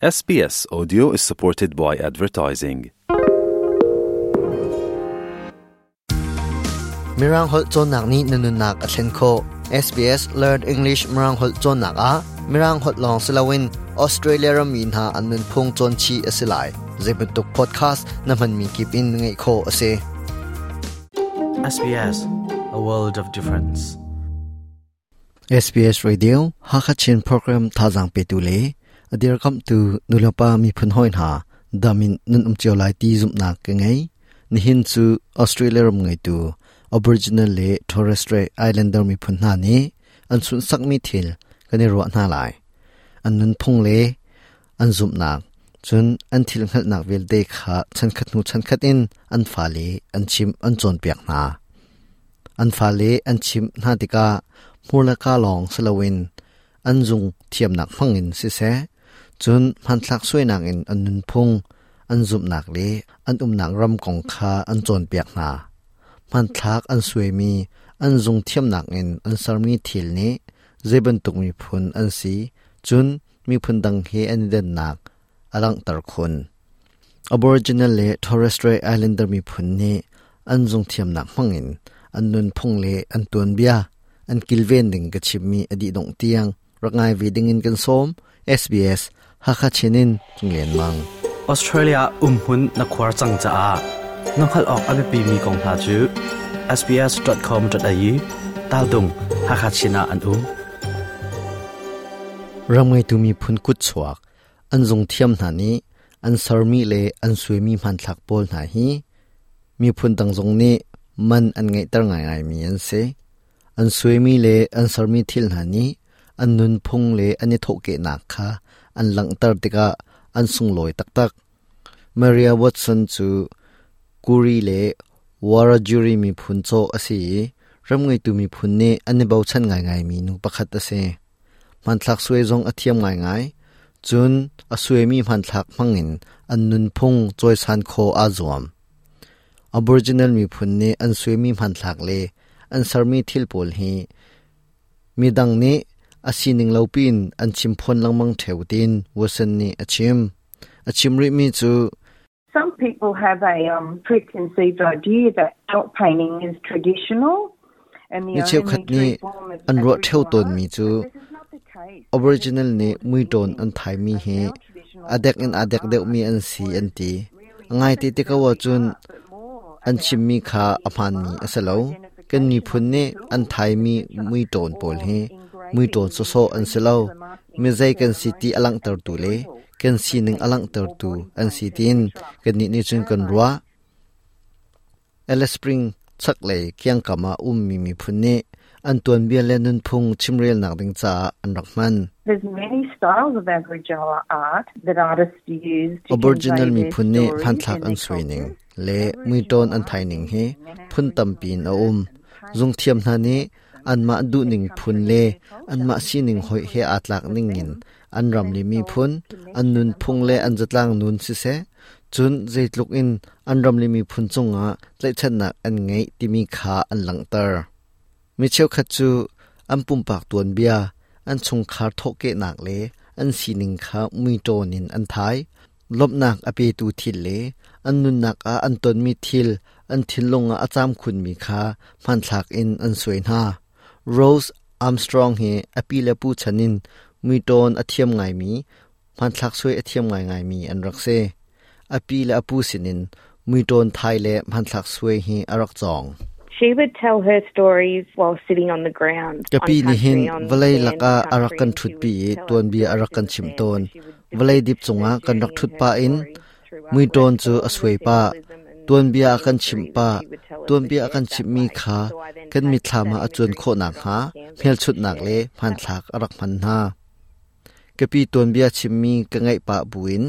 SBS Audio is supported by advertising. Mirang holh cawnnak nih na nunnak a thlen khawh. SBS Learn English Mirang holh cawnnak ah Mirang holh lawng si loin Australia rammi hna an nunphung cawn chih a si lai. Zeibantuk podcast na hmanmi kip in ngaih khawh a si. SBS, a world of difference. SBS Radio Hakha Chin program thazaang petu le a dirkamhtu nulepa miphun hawi hna dam in nan um cio lai ti zumhnak ka ngei. Nihin cu Australia ram ngeitu Aboriginal le Torres Strait Islander miphun hna nih an sunhsakmi thil kan i ruah hna lai. An nunphung le an zumhnak, cun an thil hngalhnak vialte kha chankhat hnu chankhat in an fale an chimh an cawnpiak hna. An fale an chimh hna tikah hmur le kaa lawng si loin an zung thiamnak hmangin siseh, cun hmanthlak suainak in an nunphung, an zumhnak le an umnak ram kong kha an cawnpiak hna. Hmanthlak an suaimi, an zung thiamnak in an sermi thil nih zei bantuk miphun an si, cun miphun dang he an i dannak a langhter khun. Aboriginal le Torres Strait Islander miphun nih an zungthiamnak hmangin an nunphung le an tuanbia an kilven ding ka chimmi a dih dongh tiang rak ngai ve dingin kan sawm. SBS Hakha Chin in Cunglen Mang. Australia umhmun na khuar cang caah na hngalh awk a biapimi kong hna cu sbs.com.au taldung Hakha Chin ah an um. Ram ngeitu miphun kutchuak an zungthiam hna nih an sermi le an suaimi hmanthlak pawl hna hi miphun dang zong nih man an ngeihter ngaingaimi an si. An suaimi le an sermi thil hna nih an nunphung le an i thawhkehnak kha an langhter tikah an sunglawi taktak. Maria Watson cu Kuri le Wiradjuri miphun cawh a si i ram ngeitu miphun nih an i bochan ngaingaimi nu pakhat a si. Hmanthlak suai zong a thiam ngaingai. Cun a suaimi hmanthlak hmangin an nunphung cawisan khawh aa zuam. Aboriginal miphun nih an suaimi hmanthlak le an sermi thil pawl hi midang nih a sining lo piin an chimphawn lengmang ṭheo tiin Watson nih a chim. A chim rihmi cu Some people have a um, preconceived idea that dot painting is traditional and the Mi cheukhat nih an ruah ṭheo tawnmi cu Aboriginal nih muiṭawn an thaimi hi a dek in aa dek deuhmi an si an ti. A ngaite ti ko ahcun an chimmi kha a hmaanmi a si lo. Kan miphun nih an thaimi muiṭawn pawl hi muiṭawn sawsawh an si lo. Mi zei kan si ti a langhtertu le kan sining a langhtertu an si tiin kannih nih cun kan ruah. Alice Spring chaklei kiangkam ah ummi miphun nih an tuanbia le nunphung chimrelnak ding caah an rak hman. There's many styles of Aboriginal art that artists use to Aboriginal convey their miphun nih stories hmanthlak and an their suai ning cultures. le muiṭawn an thai ning hi phun tampi in a um. Zungthiam hna nih anmah duhning phun le anmah sining hoih he aa tlak ningin an ram le miphun, an nunphung le an zatlang nun siseh, cun zeitluk in an ram le miphun cungah tlaihchannak an ngeih timi kha an langhter. Mi cheukhat cu an pumpak tuanbia, an chungkhar thawhkehnak le an sining kha muiṭawn in an thai. Lawmhnak a petu thil le an nunnak ah an tonmi thil an thinlung ah a caam khunmi kha hmanthlak in an suai hna. Rose Armstrong hi a pi le pu chan in muiṭawn a thiam ngaimi, hmanthlak suai a thiam ngaingaimi an rak si. A pi le a pu sinin muiṭawn thai le hmanthlak suai hi a rak cawng. She would tell her stories while sitting on the ground. Ka pi on nih hin country, on vawlei sand lakah a rak country, kan and she ṭhutpi would i tell us tuanbia a stories rak in kan the chimh sand tawn. where she would Vawlei depict dip her cungah kan rak journey and ṭhut her pah in stories through artwork. muiṭawn So cu all a the suai pah. symbolism and Tuanbia a the kan imagery chimh that pah. she would tell us was Tuanbia a shared kan that chimhmi way. kha So I then kan take mitthlam that ah a cuan imagery khawh and put it nakhnga onto canvas to hmelchunhnak share. le hmanthlak a rak hman hna. Ka pi tuanbia chimmi ka ngaih pah buin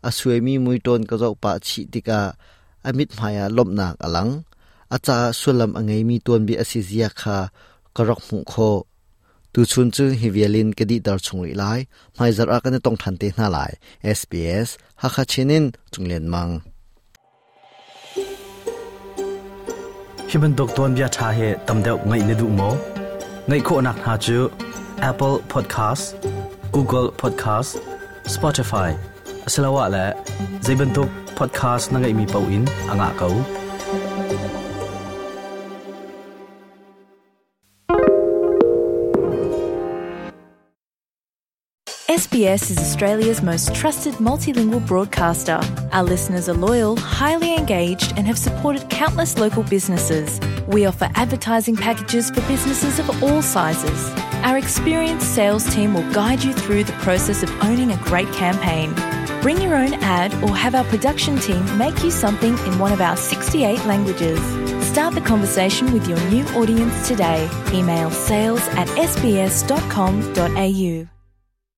a suaimi muiṭawn ka zoh pah chih tikah a mithmai ah lawmhnak a lang. A caah sullam a ngeimi tuanbia a si zia kha ka rak hmuh khawh. Tuchun cu hi vial in ka dihter chung rih lai. Hmaizarh ah kan i tong ṭhan te hna lai. SBS Hakha Chin in Cunglen Mang. Hi bantuk tuanbia ṭha hi tam deuh ngaih na duh maw? Ngaih khawhnak hna cu Apple Podcast, Google Podcast, Spotify, Asiloah le zeibantuk podcast na ngeihmi paoh in a ngah ko. SBS is Australia's most trusted multilingual broadcaster. Our listeners are loyal, highly engaged, and have supported countless local businesses. We offer advertising packages for businesses of all sizes. Our experienced sales team will guide you through the process of owning a great campaign. Bring your own ad or have our production team make you something in one of our 68 languages. Start the conversation with your new audience today. Email sales at sbs.com.au.